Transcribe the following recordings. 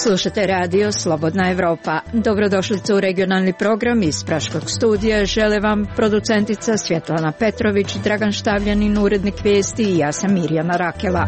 Slušate radio Slobodna Evropa. Dobrodošlicu u regionalni program iz Praškog studija. Žele vam producentica Svjetlana Petrović, Dragan Štavljanin, urednik vijesti i ja sam Mirjana Rakela.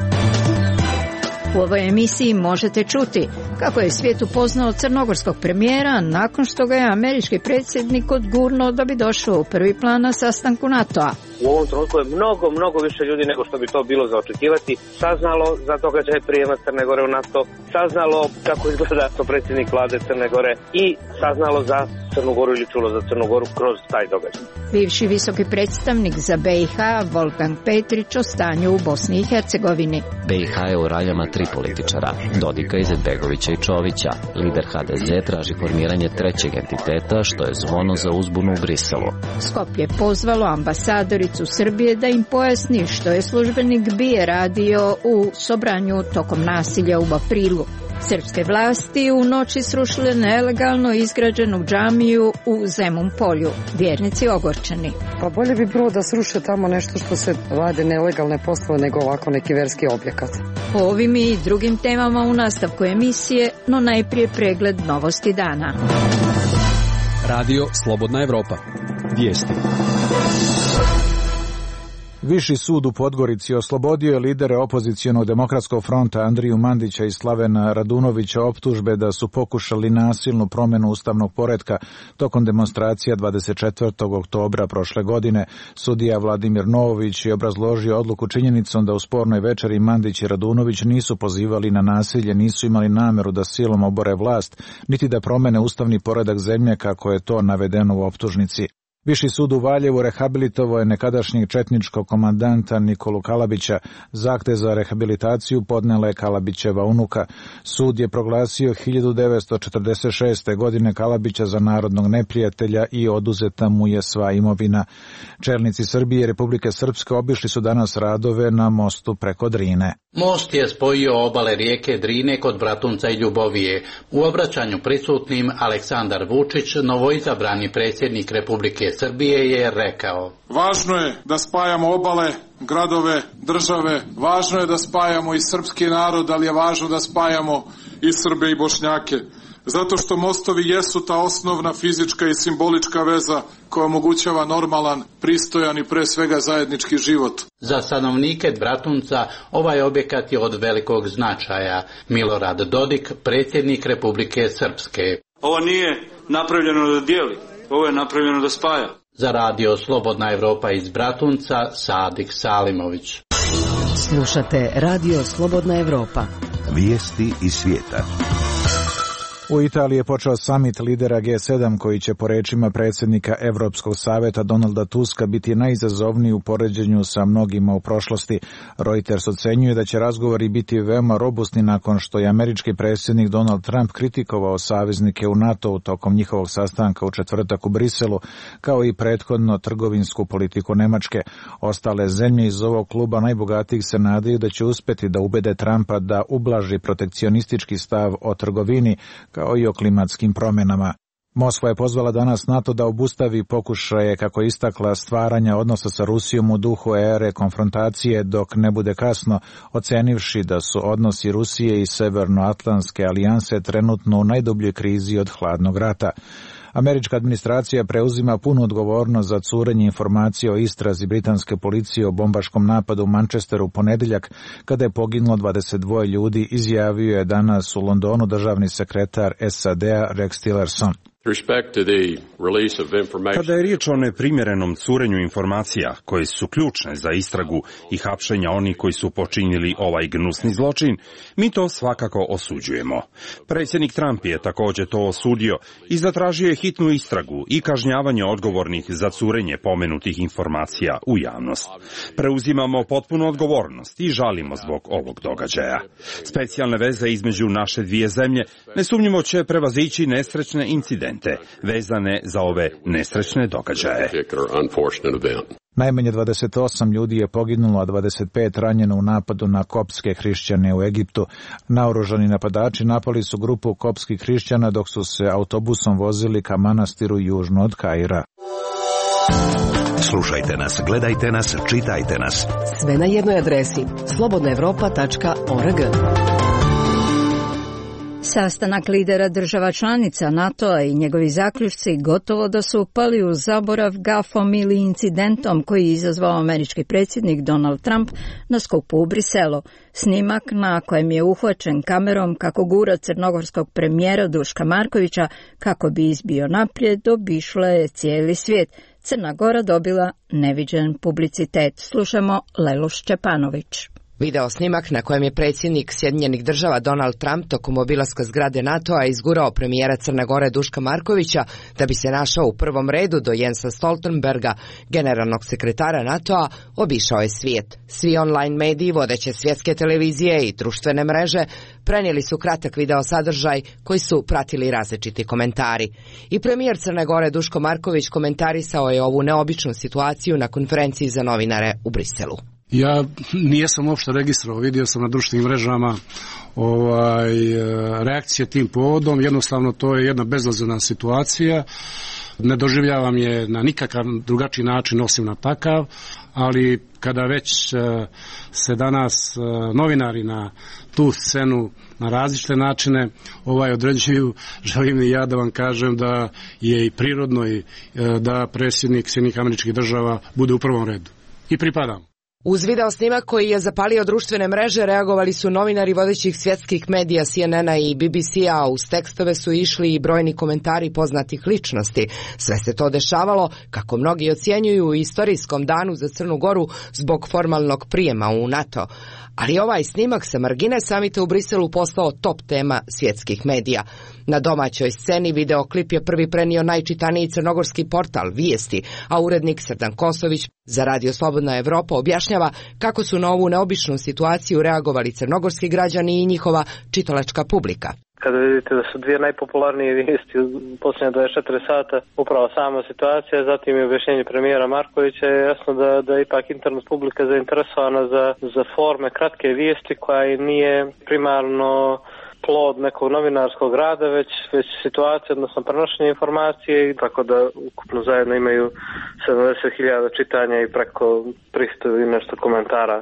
U ovoj emisiji možete čuti kako je svijet upoznao crnogorskog premijera nakon što ga je američki predsjednik odgurnuo da bi došao u prvi plan na sastanku NATO-a. U ovom trenutku je mnogo više ljudi nego što bi to bilo za očekivati saznalo za događaj prijema Crne Gore u NATO, saznalo kako izgleda to predsjednik vlade Crne Gore i saznalo za Crnu Goru ili čulo za Crnu Goru kroz taj događaj. Bivši visoki predstavnik za BiH Volkan Petrić o stanju u Bosni i Hercegovini. BiH je u raljama tri političara, Dodika, Izetbegovića i Čovića. Lider HDZ traži formiranje trećeg entiteta, što je zvono za uzbunu u Briselu. Skopje pozvalo ambasadoricu Srbije da im pojasni što je službenik BIA radio u Sobranju tokom nasilja u aprilu. Srpske vlasti u noći srušile nelegalno izgrađenu džamiju u Zemun polju. Vjernici ogorčeni. Pa bolje bi bilo da sruše tamo nešto što se rade nelegalne poslove nego ovako neki verski objekat. O ovim i drugim temama u nastavku emisije, no najprije pregled novosti dana. Radio Slobodna Evropa. Vijesti. Viši sud u Podgorici oslobodio je lidere opozicionog demokratskog fronta Andriju Mandića i Slavena Radunovića optužbe da su pokušali nasilnu promjenu ustavnog poretka tokom demonstracija 24. oktobra prošle godine. Sudija Vladimir Novović je obrazložio odluku činjenicom da u spornoj večeri Mandić i Radunović nisu pozivali na nasilje, nisu imali nameru da silom obore vlast, niti da promene ustavni poredak zemlje kako je to navedeno u optužnici. Viši sud u Valjevu rehabilitovao je nekadašnjeg četničkog komandanta Nikolu Kalabića. Zahtjev za rehabilitaciju podnela je Kalabićeva unuka. Sud je proglasio 1946. godine Kalabića za narodnog neprijatelja i oduzeta mu je sva imovina. Čelnici Srbije i Republike Srpske obišli su danas radove na mostu preko Drine. Most je spojio obale rijeke Drine kod Bratunca i Ljubovije. U obraćanju prisutnim Aleksandar Vučić, novoizabrani predsjednik Republike Srbije, je rekao: Važno je da spajamo obale, gradove, države, važno je da spajamo i srpski narod, ali je važno da spajamo i Srbe i Bošnjake. Zato što mostovi jesu ta osnovna fizička i simbolička veza koja omogućava normalan, pristojan i pre svega zajednički život. Za stanovnike Bratunca ovaj objekat je od velikog značaja. Milorad Dodik, predsjednik Republike Srpske: Ovo nije napravljeno da dijeli, ovo je napravljeno da spaja. Za radio Slobodna Evropa iz Bratunca, Sadik Salimović. Slušate radio Slobodna Evropa. Vijesti iz svijeta. U Italiji je počeo samit lidera G7 koji će po rečima predsjednika Europskog saveta Donalda Tuska biti najizazovniji u poređenju sa mnogima u prošlosti. Reuters ocenjuje da će razgovori biti veoma robustni nakon što je američki predsjednik Donald Trump kritikovao saveznike u NATO-u tokom njihovog sastanka u četvrtak u Briselu, kao i prethodno trgovinsku politiku Nemačke. Ostale zemlje iz ovog kluba najbogatijih se nadaju da će uspjeti da ubede Trumpa da ublaži protekcionistički stav o trgovini, kao i o klimatskim promjenama. Moskva je pozvala danas NATO da obustavi pokušaje, kako je istakla, stvaranja odnosa sa Rusijom u duhu ere konfrontacije dok ne bude kasno, ocenivši da su odnosi Rusije i Severnoatlantske alijanse trenutno u najdubljoj krizi od hladnog rata. Američka administracija preuzima punu odgovornost za curenje informacija o istrazi britanske policije o bombaškom napadu u Manchesteru u ponedjeljak, kada je poginulo 22 ljudi, izjavio je danas u Londonu državni sekretar SAD-a Rex Tillerson. Kada je riječ o neprimjerenom curenju informacija koje su ključne za istragu i hapšenja onih koji su počinili ovaj gnusni zločin, mi to svakako osuđujemo. Predsjednik Trump je također to osudio i zatražio je hitnu istragu i kažnjavanje odgovornih za curenje pomenutih informacija u javnost. Preuzimamo potpunu odgovornost i žalimo zbog ovog događaja. Specijalne veze između naše dvije zemlje nesumnjivo će prevazići nesrećne incidente vezane za ove nesrećne događaje. Najmanje 28 ljudi je poginulo, a 25 ranjeno u napadu na koptske hrišćane u Egiptu. Naoružani napadači napali su grupu koptskih hrišćana dok su se autobusom vozili ka manastiru južno od Kaira. Slušajte nas, gledajte nas, čitajte nas. Sve na jednoj adresi slobodnaevropa.org. Sastanak lidera država članica NATO-a i njegovi zaključci gotovo da su upali u zaborav gafom ili incidentom koji je izazvao američki predsjednik Donald Trump na skupu u Briselu. Snimak na kojem je uhvaćen kamerom kako gura crnogorskog premijera Duška Markovića kako bi izbio naprijed, obišla je cijeli svijet. Crna Gora dobila neviđen publicitet. Slušamo Lelu Šćepanović. Video snimak na kojem je predsjednik Sjedinjenih država Donald Trump tokom obilaska zgrade NATO-a izgurao premijera Crne Gore Duška Markovića da bi se našao u prvom redu do Jensa Stoltenberga, generalnog sekretara NATO-a, obišao je svijet. Svi online mediji, vodeće svjetske televizije i društvene mreže prenijeli su kratak video sadržaj koji su pratili različiti komentari. I premijer Crne Gore Duško Marković komentarisao je ovu neobičnu situaciju na konferenciji za novinare u Briselu. Ja nijesam uopšte registrovao, vidio sam na društvenim mrežama reakcije tim povodom, jednostavno to je jedna bezazlena situacija, ne doživljavam je na nikakav drugačiji način osim na takav, ali kada već se danas novinari na tu scenu na različite načine određuju, želim i ja da vam kažem da je i prirodno i da predsjednik Sjedinjenih Američkih Država bude u prvom redu. I pripadam. Uz video snimak koji je zapalio društvene mreže reagovali su novinari vodećih svjetskih medija CNN-a i BBC-a, uz tekstove su išli i brojni komentari poznatih ličnosti. Sve se to dešavalo, kako mnogi ocjenjuju, u istorijskom danu za Crnu Goru zbog formalnog prijema u NATO. Ali ovaj snimak sa margine samita u Briselu postao top tema svjetskih medija. Na domaćoj sceni videoklip je prvi prenio najčitaniji crnogorski portal Vijesti, a urednik Srdan Kosović za Radio Slobodna Evropa objašnjava kako su na ovu neobičnu situaciju reagovali crnogorski građani i njihova čitalačka publika. Kada vidite da su dvije najpopularnije vijesti u posljednje 24 sata upravo sama situacija, zatim i objašnjenje premijera Markovića, je jasno da je ipak internet publika zainteresovana za forme kratke vijesti koja nije primarno plod nekog novinarskog rada, već situacija, odnosno prenošenje informacije, tako da ukupno zajedno imaju 70.000 čitanja i preko 300 i nešto komentara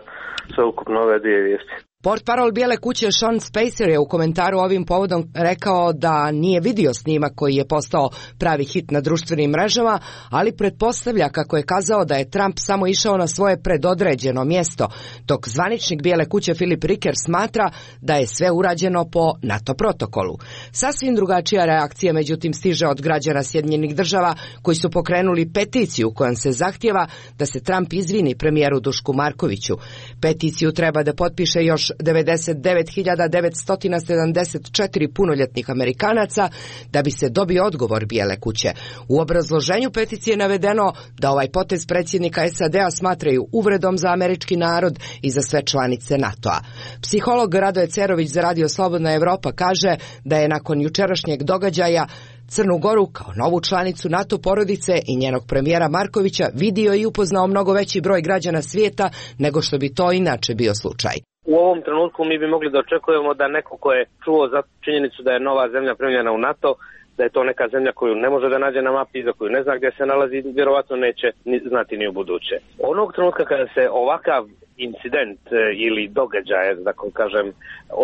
sve ukupno ove dvije vijesti. Portparol Bijele kuće Sean Spicer je u komentaru ovim povodom rekao da nije vidio snimak koji je postao pravi hit na društvenim mrežama, ali pretpostavlja, kako je kazao, da je Trump samo išao na svoje predodređeno mjesto, dok zvaničnik Bijele kuće Philip Ricker smatra da je sve urađeno po NATO protokolu. Sasvim drugačija reakcija međutim stiže od građana Sjedinjenih država koji su pokrenuli peticiju kojom se zahtijeva da se Trump izvini premijeru Dušku Markoviću. Peticiju treba da potpiše još 99.974 punoljetnih Amerikanaca da bi se dobio odgovor Bijele kuće. U obrazloženju peticije je navedeno da ovaj potez predsjednika SAD-a smatraju uvredom za američki narod i za sve članice NATO-a. Psiholog Radoje Cerović za Radio Slobodna Evropa kaže da je nakon jučerašnjeg događaja Crnu Goru kao novu članicu NATO porodice i njenog premijera Markovića vidio i upoznao mnogo veći broj građana svijeta nego što bi to inače bio slučaj. U ovom trenutku mi bi mogli da očekujemo da neko ko je čuo za činjenicu da je nova zemlja primljena u NATO, da je to neka zemlja koju ne može da nađe na mapi i za koju ne zna gdje se nalazi, vjerovatno neće znati ni u buduće. Onog trenutka kada se ovakav incident ili događaj, da kažem,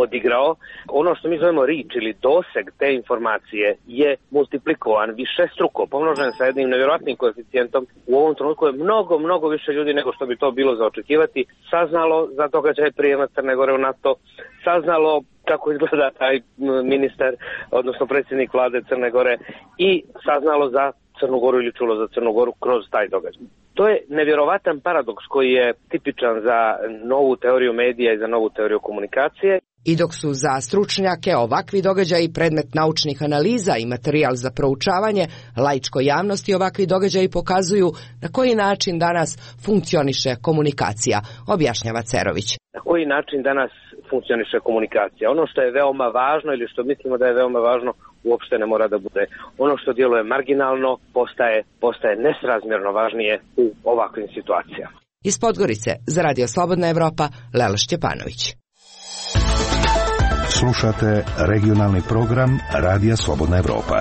odigrao, ono što mi zovemo reach ili doseg te informacije je multiplikovan, višestruko pomnožen sa jednim nevjerojatnim koeficijentom. U ovom trenutku je mnogo više ljudi nego što bi to bilo za očekivati saznalo za događaj prijema Crne Gore u NATO, saznalo kako izgleda taj ministar, odnosno predsjednik vlade Crne Gore, i saznalo za Crnu Goru ili čulo za Crnu Goru kroz taj događaj. To je nevjerovatan paradoks koji je tipičan za novu teoriju medija i za novu teoriju komunikacije. I dok su za stručnjake ovakvi događaji predmet naučnih analiza i materijal za proučavanje, laičkoj javnosti ovakvi događaji pokazuju na koji način danas funkcioniše komunikacija, objašnjava Cerović. Na koji način danas funkcioniše komunikacija? Ono što je veoma važno ili što mislimo da je veoma važno uopšte ne mora da bude. Ono što djeluje marginalno postaje nesrazmjerno važnije u ovakvim situacijama. Iz Podgorice za Radio Slobodna Evropa, Lela Šćepanović. Slušate regionalni program Radija Slobodna Evropa.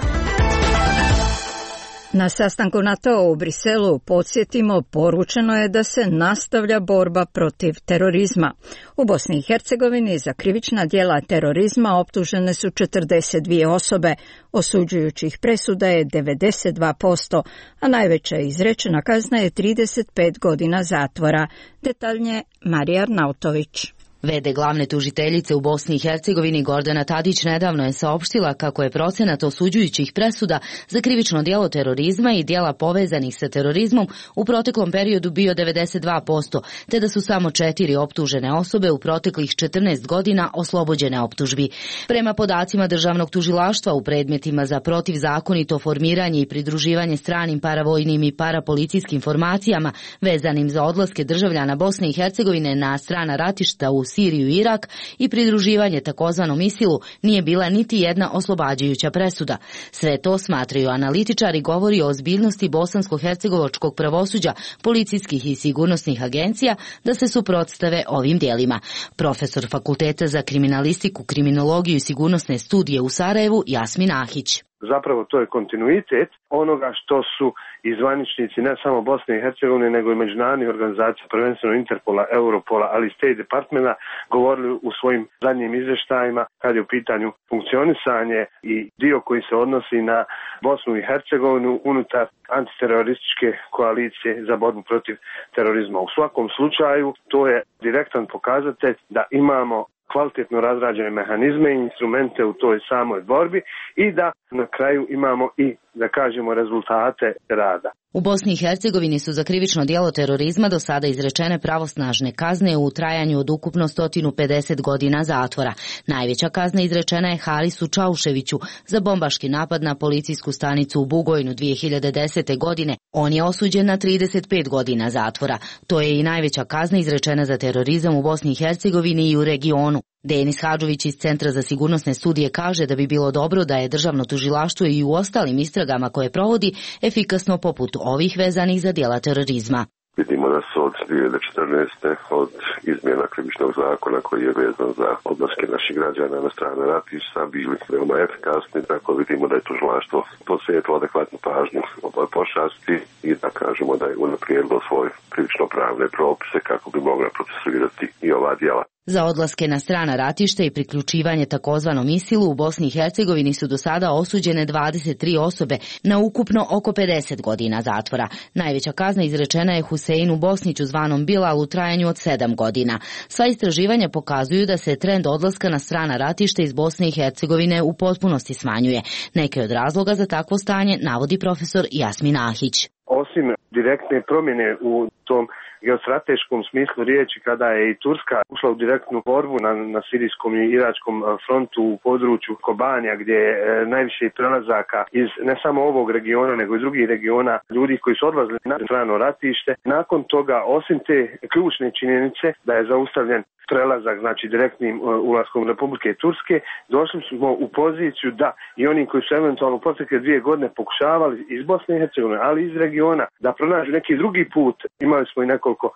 Na sastanku NATO u Briselu, podsjetimo, poručeno je da se nastavlja borba protiv terorizma. U Bosni i Hercegovini za krivična djela terorizma optužene su 42 osobe, osuđujućih presuda je 92%, a najveća izrečena kazna je 35 godina zatvora. Detaljnije Marija Arnautović. V.d. glavne tužiteljice u Bosni i Hercegovini Gordana Tadić nedavno je saopštila kako je procenat osuđujućih presuda za krivično djelo terorizma i djela povezanih sa terorizmom u proteklom periodu bio 92%, te da su samo 4 optužene osobe u proteklih 14 godina oslobođene optužbi. Prema podacima državnog tužilaštva u predmetima za protivzakonito formiranje i pridruživanje stranim paravojnim i parapolicijskim formacijama vezanim za odlaske državljana Bosne i Hercegovine na strana ratišta u Siriju i Irak i pridruživanje takozvanom ISIL-u nije bila niti jedna oslobađajuća presuda. Sve to, smatraju analitičari, govori o ozbiljnosti bosansko-hercegovačkog pravosuđa, policijskih i sigurnosnih agencija da se suprotstave ovim djelima. Profesor Fakulteta za kriminalistiku, kriminologiju i sigurnosne studije u Sarajevu Jasmin Ahić. Zapravo to je kontinuitet onoga što su i zvaničnici ne samo Bosne i Hercegovine nego i međunarodnih organizacija, prvenstveno Interpola, Europola, ali i State Departmenta govorili u svojim zadnjim izvještajima kad je u pitanju funkcionisanje i dio koji se odnosi na Bosnu i Hercegovinu unutar antiterorističke koalicije za borbu protiv terorizma. U svakom slučaju to je direktan pokazatelj da imamo kvalitetno razrađene mehanizme i instrumente u toj samoj borbi i da na kraju imamo i, da kažemo, rezultate rada. U Bosni i Hercegovini su za krivično djelo terorizma do sada izrečene pravosnažne kazne u trajanju od ukupno 150 godina zatvora. Najveća kazna izrečena je Harisu Čauševiću za bombaški napad na policijsku stanicu u Bugojnu 2010. godine. On je osuđen na 35 godina zatvora. To je i najveća kazna izrečena za terorizam u Bosni i Hercegovini i u regionu. Denis Hadžović iz Centra za sigurnosne studije kaže da bi bilo dobro da je državno tužilaštvo i u ostalim istragama koje provodi efikasno poput ovih vezanih za djela terorizma. Vidimo da su od 2014. od izmjena krivičnog zakona koji je vezan za odlaske naših građana na strane ratišta bili veoma efikasni, tako vidimo da je tužilaštvo posvetilo adekvatnu pažnju ovoj pošasti i da kažemo da je unaprijedilo svoje krivično-pravne propise kako bi mogla procesuirati i ova djela. Za odlaske na strana ratišta i priključivanje takozvanom ISIL-u u Bosni i Hercegovini su do sada osuđene 23 osobe na ukupno oko 50 godina zatvora. Najveća kazna izrečena je Huseinu Bosniću zvanom Bilal u trajanju od 7 godina. Sva istraživanja pokazuju da se trend odlaska na strana ratišta iz Bosne i Hercegovine u potpunosti smanjuje. Neke od razloga za takvo stanje navodi profesor Jasmin Ahić. Osim direktne promjene u tom geostrateškom smislu riječi kada je i Turska ušla u direktnu borbu na sirijskom i iračkom frontu u području Kobanija gdje je najviše prelazaka iz ne samo ovog regiona nego i drugih regiona ljudi koji su odlazili na strano ratište. Nakon toga, osim te ključne činjenice da je zaustavljen prelazak, znači direktnim ulaskom Republike Turske, došli smo u poziciju da i oni koji su eventualno protekle 2 godine pokušavali iz Bosne i Hercegovine, ali iz regiona, da pronađu neki drugi put. Imali smo i nekoliko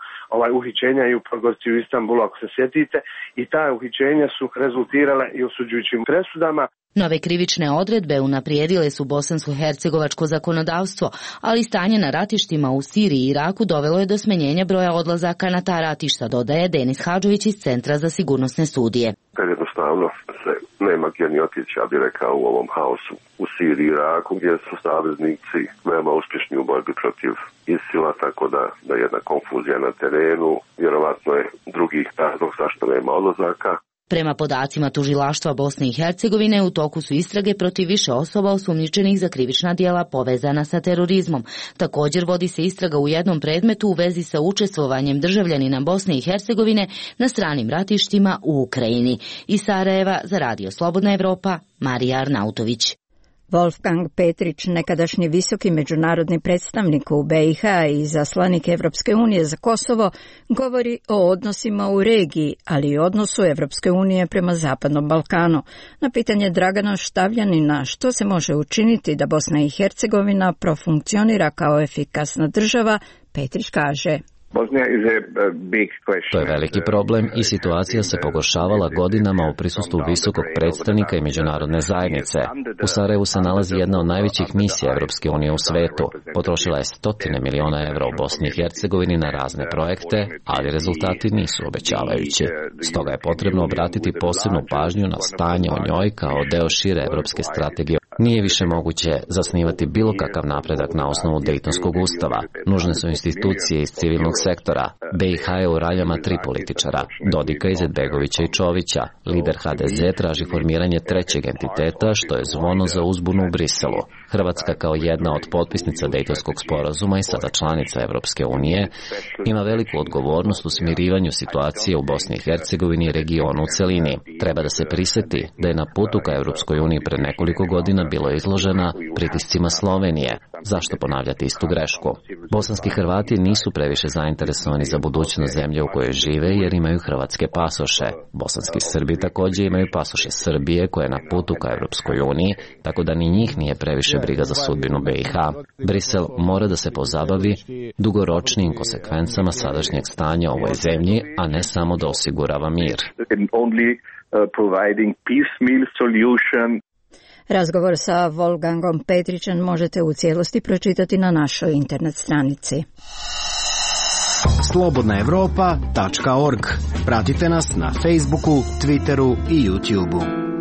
uhićenja i u Podgorici u Istanbulu, ako se sjetite, i ta uhićenja su rezultirale i osuđujućim presudama. Nove krivične odredbe unaprijedile su bosansko-hercegovačko zakonodavstvo, ali stanje na ratištima u Siriji i Iraku dovelo je do smanjenja broja odlazaka na ta ratišta, dodaje Denis Hadžović iz Centra za sigurnosne studije. Kad jednostavno se nema gdje ni otići, ja bih rekao, u ovom haosu u Siriji i Iraku, gdje su saveznici veoma uspješni u borbi protiv ISIL-a, tako da je jedna konfuzija na terenu, vjerovatno je drugih razlog zašto nema odlazaka. Prema podacima tužilaštva Bosne i Hercegovine, u toku su istrage protiv više osoba osumnjičenih za krivična djela povezana sa terorizmom. Također vodi se istraga u jednom predmetu u vezi sa učestvovanjem državljanina Bosne i Hercegovine na stranim ratištima u Ukrajini. Iz Sarajeva za Radio Slobodna Evropa, Marija Arnautović. Wolfgang Petrić, nekadašnji visoki međunarodni predstavnik u BiH i izaslanik Evropske unije za Kosovo, govori o odnosima u regiji, ali i odnosu Evropske unije prema Zapadnom Balkanu. Na pitanje Dragana Štavljanina što se može učiniti da Bosna i Hercegovina profunkcionira kao efikasna država, Petrić kaže: To je veliki problem i situacija se pogoršavala godinama u prisustvu visokog predstavnika i međunarodne zajednice. U Sarajevu se nalazi jedna od najvećih misija Evropske unije u svetu. Potrošila je stotine miliona evra u Bosni i Hercegovini na razne projekte, ali rezultati nisu obećavajući. Stoga je potrebno obratiti posebnu pažnju na stanje o njoj kao deo šire evropske strategije. Nije više moguće zasnivati bilo kakav napredak na osnovu Dejtonskog ustava. Nužne su institucije iz civilnog sektora. BiH je u raljama 3 političara, Dodika, Izetbegovića i Čovića. Lider HDZ traži formiranje trećeg entiteta, što je zvono za uzbunu u Briselu. Hrvatska kao jedna od potpisnica Dejtonskog sporazuma i sada članica Evropske unije ima veliku odgovornost u smirivanju situacije u Bosni i Hercegovini i regionu u celini. Treba da se priseti da je na putu ka Evropskoj uniji pred nekoliko godina bilo izložena pritiscima Slovenije. Zašto ponavljati istu grešku? Bosanski Hrvati nisu previše zainteresovani za budućnost zemlje u kojoj žive jer imaju hrvatske pasoše. Bosanski Srbi također imaju pasoše Srbije koje je na putu ka Evropskoj uniji, tako da ni njih nije previše briga za sudbinu BiH. Brisel mora da se pozabavi dugoročnim konsekvencama sadašnjeg stanja u ovoj zemlji, a ne samo da osigurava mir. Razgovor sa Wolfgangom Petrićem možete u cijelosti pročitati na našoj internet stranici. slobodnaevropa.org. Pratite nas na Facebooku, Twitteru i YouTubeu.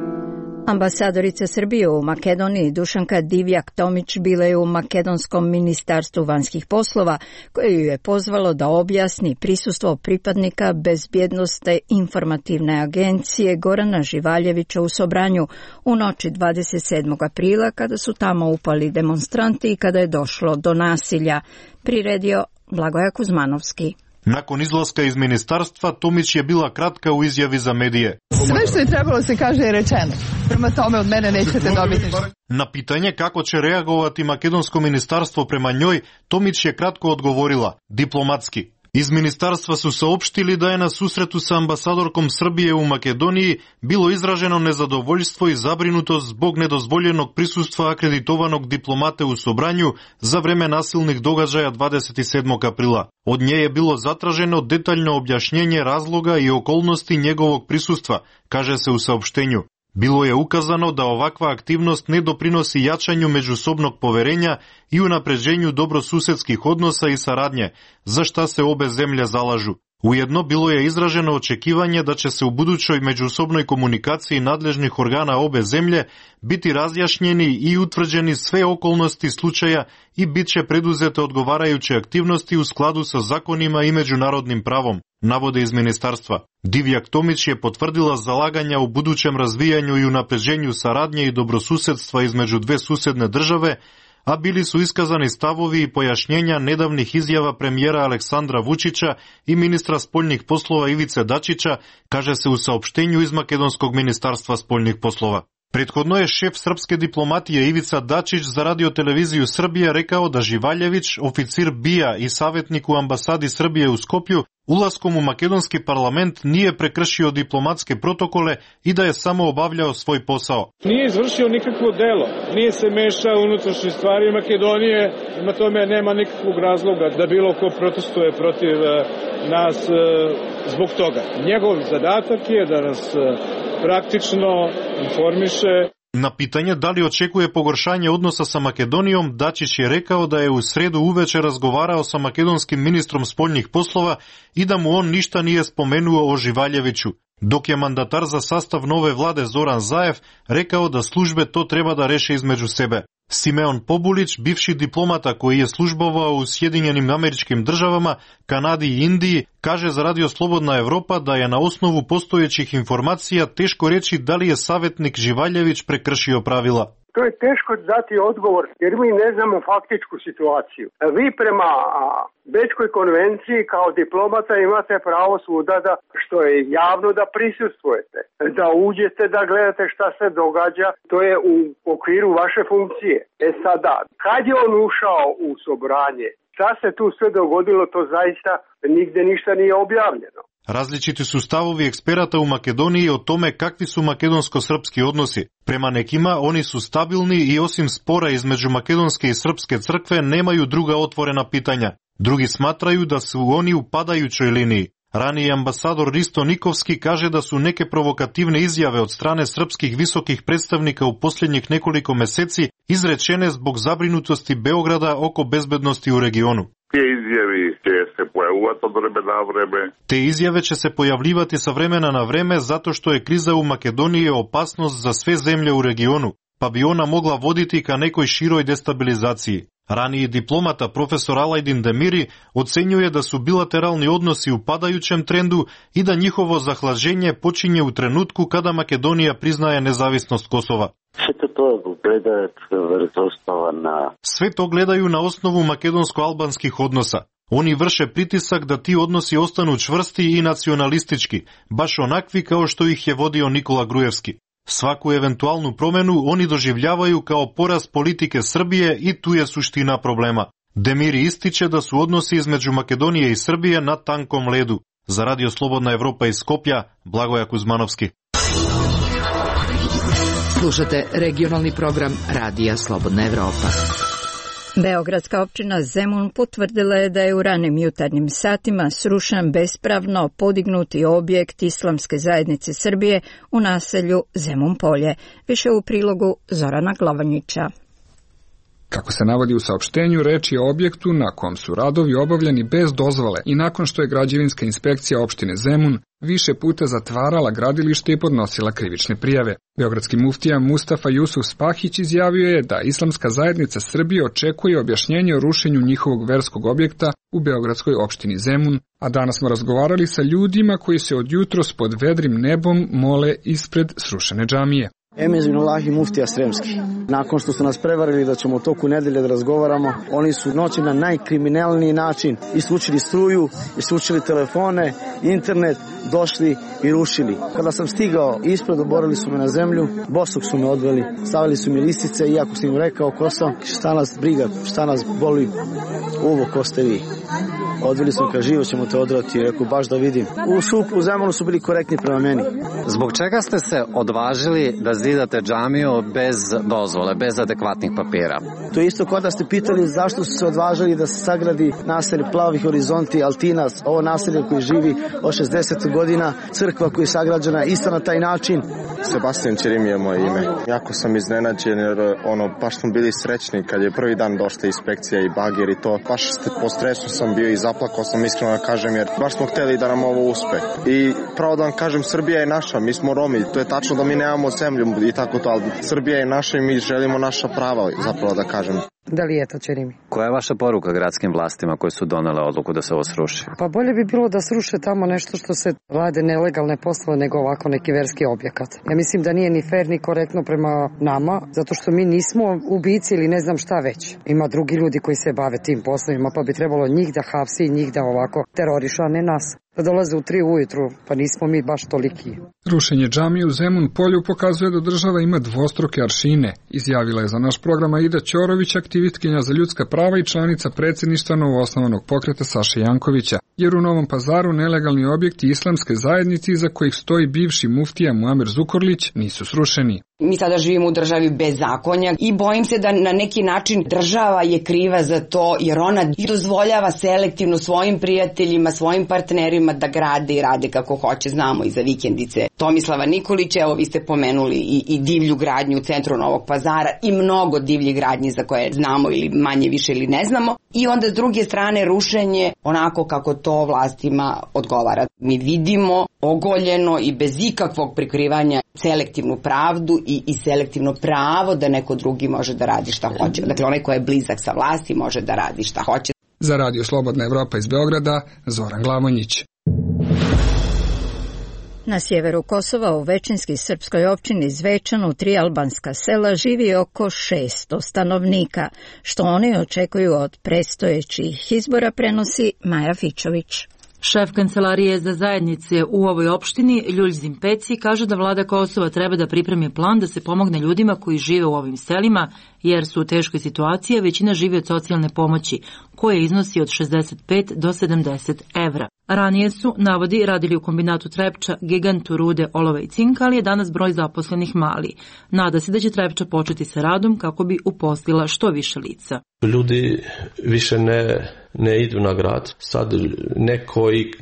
Ambasadorica Srbije u Makedoniji Dušanka Divjak-Tomić bila je u Makedonskom ministarstvu vanjskih poslova, koje ju je pozvalo da objasni prisustvo pripadnika Bezbjednosne informativne agencije Gorana Živaljevića u Sobranju u noći 27. aprila kada su tamo upali demonstranti i kada je došlo do nasilja, priredio Blagoja Kuzmanovski. Nakon izlaska iz ministarstva, Tomić je bila kratka u izjavi za medije. Sve što je trebalo se kaže je rečeno. Prema tome od mene nećete dobiti ništa. Na pitanje kako će reagovati makedonsko ministarstvo prema njoj, Tomić je kratko odgovorila, diplomatski. Iz ministarstva su saopštili da je na susretu sa ambasadorkom Srbije u Makedoniji bilo izraženo nezadovoljstvo i zabrinutost zbog nedozvoljenog prisustva akreditovanog diplomate u Sobranju za vreme nasilnih događaja 27. aprila. Od nje je bilo zatraženo detaljno objašnjenje razloga i okolnosti njegovog prisustva, kaže se u saopštenju. Bilo je ukazano da ovakva aktivnost ne doprinosi jačanju međusobnog poverenja i unapređenju dobrosusedskih odnosa i saradnje, za šta se obe zemlje zalažu. Ujedno bilo je izraženo očekivanje da će se u budućoj međusobnoj komunikaciji nadležnih organa obe zemlje biti razjašnjeni i utvrđeni sve okolnosti slučaja i bit će preduzete odgovarajuće aktivnosti u skladu sa zakonima i međunarodnim pravom, navode iz ministarstva. Divjak-Tomić je potvrdila zalaganja u budućem razvijanju i unapređenju saradnje i dobrosusedstva između dve susedne države, a bili su iskazani stavovi i pojašnjenja nedavnih izjava premijera Aleksandra Vučića i ministra spoljnih poslova Ivice Dačića, kaže se u saopštenju iz Makedonskog ministarstva spoljnih poslova. Prethodno je šef srpske diplomatije Ivica Dačić za Radio-televiziju Srbije rekao da Živaljević, oficir BIA i savjetnik u ambasadi Srbije u Skopju, ulaskom u makedonski parlament nije prekršio diplomatske protokole i da je samo obavljao svoj posao. Nije izvršio nikakvo delo, nije se mešao u unutrašnje stvari Makedonije, na tome nema nikakvog razloga da bilo ko protestuje protiv nas zbog toga. Njegov zadatak je da nas praktično informiše. Na pitanje da li očekuje pogoršanje odnosa sa Makedonijom, Dačić je rekao da je u sredu uveče razgovarao sa makedonskim ministrom spoljnih poslova i da mu on ništa nije spomenuo o Živaljeviću, dok je mandatar za sastav nove vlade Zoran Zaev rekao da službe to treba da reše između sebe. Simeon Pobulić, bivši diplomata koji je službovao u Sjedinjenim Američkim Državama, Kanadi i Indiji, kaže za Radio Slobodna Evropa da je na osnovu postojećih informacija teško reći da li je savjetnik Živaljević prekršio pravila. To je teško dati odgovor jer mi ne znamo faktičku situaciju. Vi prema Bečkoj konvenciji kao diplomata imate pravo svuda da, što je javno, da prisustvujete, da uđete, da gledate šta se događa, to je u okviru vaše funkcije. Sada, kad je on ušao u Sobranje, šta se tu sve dogodilo, to zaista nigde ništa nije objavljeno. Različiti su stavovi eksperata u Makedoniji o tome kakvi su makedonsko-srpski odnosi. Prema nekima oni su stabilni i osim spora između makedonske i srpske crkve nemaju druga otvorena pitanja. Drugi smatraju da su oni u padajućoj liniji. Raniji ambasador Risto Nikovski kaže da su neke provokativne izjave od strane srpskih visokih predstavnika u posljednjih nekoliko meseci izrečene zbog zabrinutosti Beograda oko bezbednosti u regionu. Te izjave će se pojavljivati sa vremena na vreme zato što je kriza u Makedoniji opasnost za sve zemlje u regionu, pa bi ona mogla voditi ka nekoj široj destabilizaciji. Raniji diplomata profesor Alajdin Demiri ocenjuje da su bilateralni odnosi u padajućem trendu i da njihovo zahlađenje počinje u trenutku kada Makedonija priznaje nezavisnost Kosova. Sve to gledaju na osnovu makedonsko-albanskih odnosa. Oni vrše pritisak da ti odnosi ostanu čvrsti i nacionalistički, baš onakvi kao što ih je vodio Nikola Grujevski. Svaku eventualnu promenu oni doživljavaju kao poraz politike Srbije i tu je suština problema. Demiri ističe da su odnosi između Makedonije i Srbije na tankom ledu. Za Radio Slobodna Evropa iz Skoplja, Blagoja Kuzmanovski. Slušate regionalni program Radija Slobodna Evropa. Beogradska općina Zemun potvrdila je da je u ranim jutarnjim satima srušen bespravno podignuti objekt Islamske zajednice Srbije u naselju Zemun Polje. Više u prilogu Zorana Glavanjića. Kako se navodi u saopštenju, reč je o objektu na kom su radovi obavljeni bez dozvole i nakon što je građevinska inspekcija opštine Zemun više puta zatvarala gradilište i podnosila krivične prijave. Beogradski muftija Mustafa Jusuf Spahić izjavio je da Islamska zajednica Srbije očekuje objašnjenje o rušenju njihovog verskog objekta u beogradskoj opštini Zemun, a danas smo razgovarali sa ljudima koji se od jutros pod vedrim nebom mole ispred srušene džamije. Emir Zinulahi muftija Sremski. Nakon što su nas prevarili da ćemo u toku nedelje da razgovaramo, oni su noći na najkriminalniji način isključili struju, isključili telefone, internet, došli i rušili. Kada sam stigao ispred, oborili su me na zemlju, bosog su me odveli, stavili su mi listice i ako sam im rekao ko sam, šta nas briga, šta nas boli, uvo ko ste vi. Odveli sam ka živo ćemo te odrati, rekao baš da vidim. U Zemunu su bili korektni prema meni. Zbog čega ste se odvažili da zidate džamiju bez dozvole, bez adekvatnih papira? To je isto kod da ste pitali zašto su se odvažili da se sagradi naselje Plavi horizonti, Altinas, ovo naselje koje živi od 60 godina, crkva koja je sagrađena isto na taj način. Sebastian Ćerim je moje ime. Jako sam iznenađen jer baš smo bili srećni kad je prvi dan došla inspekcija i bager i to. Baš po stresu sam bio i zaplakao sam, iskreno da kažem, jer baš smo hteli da nam ovo uspe. I pravo da vam kažem, Srbija je naša, mi smo Romi, to je tačno da mi nemamo zemlju i tako to, ali Srbija je naša i mi želimo naša prava, zapravo da kažem. Da li je to, Ćerimi? Koja je vaša poruka gradskim vlastima koji su donele odluku da se ovo sruši? Pa bolje bi bilo da sruše tamo nešto što se rade nelegalne poslove nego ovako neki verski objekat. Ja mislim da nije ni fair ni korektno prema nama, zato što mi nismo ubici ili ne znam šta već. Ima drugi ljudi koji se bave tim poslovima, pa bi trebalo njih da hapsi i njih da ovako terorišu, a ne nas. Da dolaze u 3 ujutru, pa nismo mi baš toliki. Rušenje džamije u Zemun Polju pokazuje da država ima dvostruke aršine, izjavila je za naš program Aida Ćorović, aktivistkinja za ljudska prava i članica predsjedništva novoosnovanog pokreta Saše Jankovića, jer u Novom Pazaru nelegalni objekti Islamske zajednice iza kojih stoji bivši muftija Muamer Zukorlić nisu srušeni. Mi sada živimo u državi bez zakonja i bojim se da na neki način država je kriva za to jer ona dozvoljava selektivno svojim prijateljima, svojim partnerima da grade i rade kako hoće. Znamo i za vikendice Tomislava Nikolića, evo vi ste pomenuli i divlju gradnju u centru Novog Pazara i mnogo divljih gradnji za koje znamo ili manje više ili ne znamo. I onda s druge strane rušenje onako kako to vlastima odgovara. Mi vidimo ogoljeno i bez ikakvog prikrivanja selektivnu pravdu i selektivno pravo da neko drugi može da radi šta hoće. Dakle, onaj ko je blizak sa vlasti može da radi šta hoće. Za Radio Slobodna Evropa iz Beograda, Zoran Glamonjić. Na sjeveru Kosova u većinski srpskoj općini Zvečan u 3 albanska sela živi oko 600 stanovnika, što oni očekuju od predstojećih izbora, prenosi Maja Fičović. Šef Kancelarije za zajednice u ovoj opštini, Ljuljzim Peci, kaže da vlada Kosova treba da pripremi plan da se pomogne ljudima koji žive u ovim selima, jer su u teškoj situaciji, a većina živi od socijalne pomoći, koje iznosi od 65 do 70 evra. Ranije su, navodi, radili u kombinatu Trepča, gigantu rude, olova i cinka, ali je danas broj zaposlenih mali. Nada se da će Trepča početi sa radom kako bi uposlila što više lica. Ljudi više ne ne idu na grad. Sad neki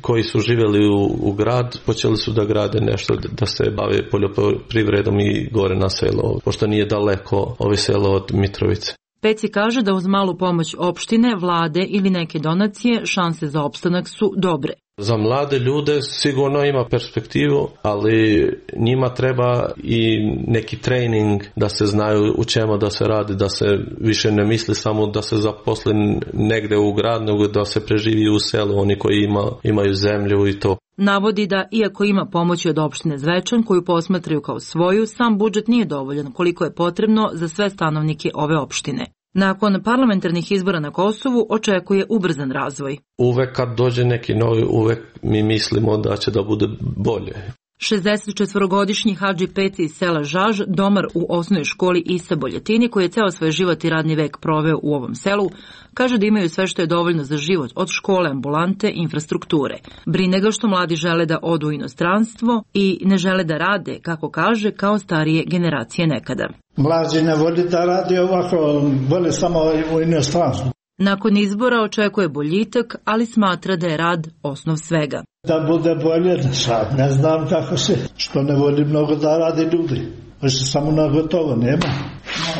koji su živjeli u grad počeli su da grade nešto, da se bave poljoprivredom i gore na selo, pošto nije daleko ovo selo od Mitrovice. Peci kaže da uz malu pomoć opštine, vlade ili neke donacije šanse za opstanak su dobre. Za mlade ljude sigurno ima perspektivu, ali njima treba i neki trening da se znaju u čemu da se radi, da se više ne misli samo da se zaposli negde u grad, nego da se preživi u selu, oni koji imaju zemlju i to. Navodi da, iako ima pomoći od opštine Zvečan, koju posmatraju kao svoju, sam budžet nije dovoljan koliko je potrebno za sve stanovnike ove opštine. Nakon parlamentarnih izbora na Kosovu očekuje ubrzan razvoj. Uvek kad dođe neki novi, uvek mi mislimo da će da bude bolje. 64-godišnji Hadži Peci iz sela Žaž, domar u osnovnoj školi Isa Boljetini, koji je ceo svoj život i radni vek proveo u ovom selu, kaže da imaju sve što je dovoljno za život, od škole, ambulante, infrastrukture. Brine ga što mladi žele da odu u inostranstvo i ne žele da rade, kako kaže, kao starije generacije nekada. Mlađi ne voli da radi ovako, voli samo u inostranstvu. Nakon izbora očekuje boljitak, ali smatra da je rad osnov svega. Da bude bolje, sad ne znam kako se, što ne voli mnogo da radi ljudi. Više samo na gotovo nema,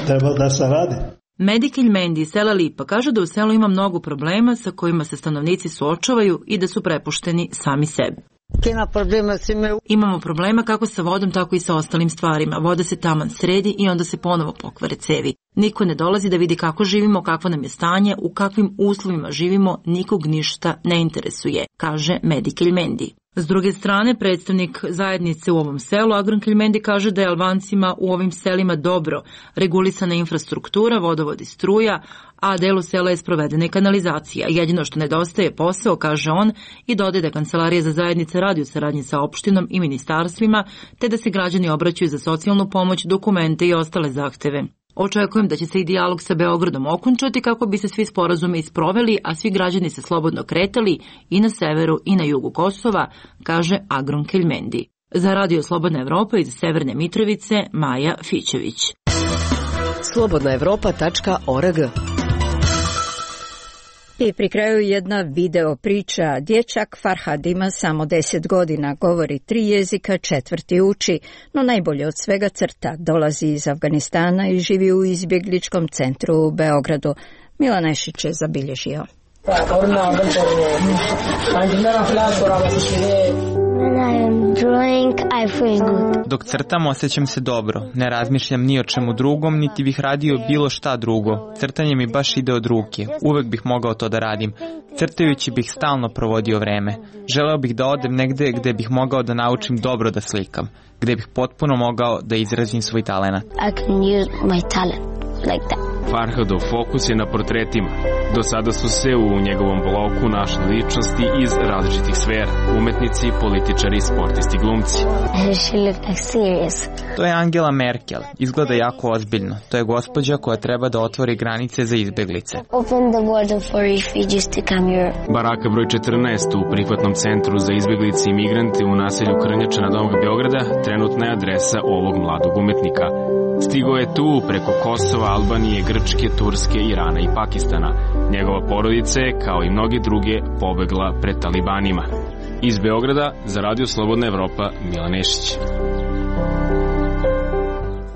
treba da se radi. Medikilj Mendi iz sela Lipa kaže da u selu ima mnogo problema sa kojima se stanovnici suočavaju i da su prepušteni sami sebi. Imamo problema kako sa vodom, tako i sa ostalim stvarima. Voda se taman sredi i onda se ponovo pokvare cevi. Niko ne dolazi da vidi kako živimo, kakvo nam je stanje, u kakvim uslovima živimo, nikog ništa ne interesuje, kaže Medikilj Mendi. S druge strane, predstavnik zajednice u ovom selu, Agron Keljmendi, kaže da je Albancima u ovim selima dobro regulisana infrastruktura, vodovod i struja, a delu sela je sprovedena i kanalizacija. Jedino što nedostaje je posao, kaže on, i dodaje da Kancelarija za zajednice radi u saradnji sa opštinom i ministarstvima, te da se građani obraćaju za socijalnu pomoć, dokumente i ostale zahteve. Očekujem da će se i dijalog sa Beogradom okončati kako bi se svi sporazumi isproveli, a svi građani se slobodno kretali i na severu i na jugu Kosova, kaže Agron Keljmendi. Za Radio Slobodna Evropa iz Severne Mitrovice, Maja Fićević. slobodnaevropa.org. I pri kraju jedna video priča. Dječak Farhad ima samo 10 godina, govori 3 jezika, 4 uči, no najbolje od svega crta. Dolazi iz Afganistana i živi u izbjegličkom centru u Beogradu. Milan Nešić je zabilježio. Dok crtam osjećam se dobro, ne razmišljam ni o čemu drugom, niti bih radio bilo šta drugo. Crtanje mi baš ide od ruke, uvek bih mogao to da radim. Crtajući bih stalno provodio vreme. Želeo bih da odem negde gde bih mogao da naučim dobro da slikam, gde bih potpuno mogao da izrazim svoj talenat. Farhadov fokus je na portretima. Do sada su se u njegovom bloku našli ličnosti iz različitih sfera, umetnici, političari, sportisti, glumci. To je Angela Merkel, izgleda jako ozbiljno. To je gospođa koja treba da otvori granice za izbeglice. Baraka broj 14 u prihvatnom centru za izbeglice i migrante u naselju Krnjača na Novog Beograda trenutna je adresa ovog mladog umetnika. Stigo je tu preko Kosova, Albanije, Grčke, Turske, Irana i Pakistana. Njegova porodica je, kao i mnogi druge, pobegla pred talibanima. Iz Beograda za Radio Slobodna Evropa, Milan Nešić.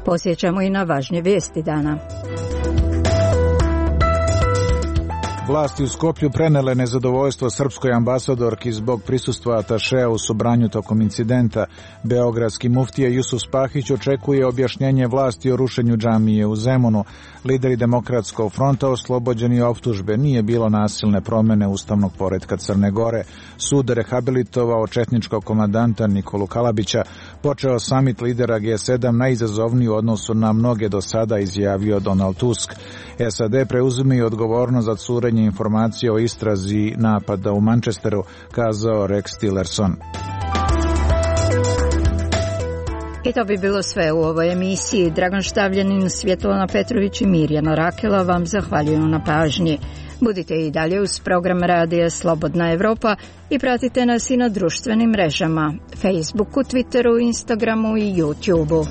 Posjećamo i na važnje vijesti dana. Vlasti u Skoplju prenele nezadovoljstvo srpskoj ambasadorki zbog prisustva atašea u Sobranju tokom incidenta. Beogradski muftija Jusuf Spahić očekuje objašnjenje vlasti o rušenju džamije u Zemunu. Lideri Demokratskog fronta oslobođeni optužbe. Nije bilo nasilne promene ustavnog poretka Crne Gore. Sud rehabilitovao četničkog komandanta Nikolu Kalabića. Počeo samit lidera G7 najizazovniji u odnosu na mnoge do sada, izjavio Donald Tusk. SAD preuzimaju odgovornost za curenje informacije o istrazi napada u Manchesteru, kazao Rex Tillerson. I to bi bilo sve u ovoj emisiji. Dragan Štavljanin, Svjetlana Petrović i Mirjana Rakela vam zahvaljuju na pažnji. Budite i dalje uz program Radija Slobodna Evropa i pratite nas i na društvenim mrežama, Facebooku, Twitteru, Instagramu i YouTubeu.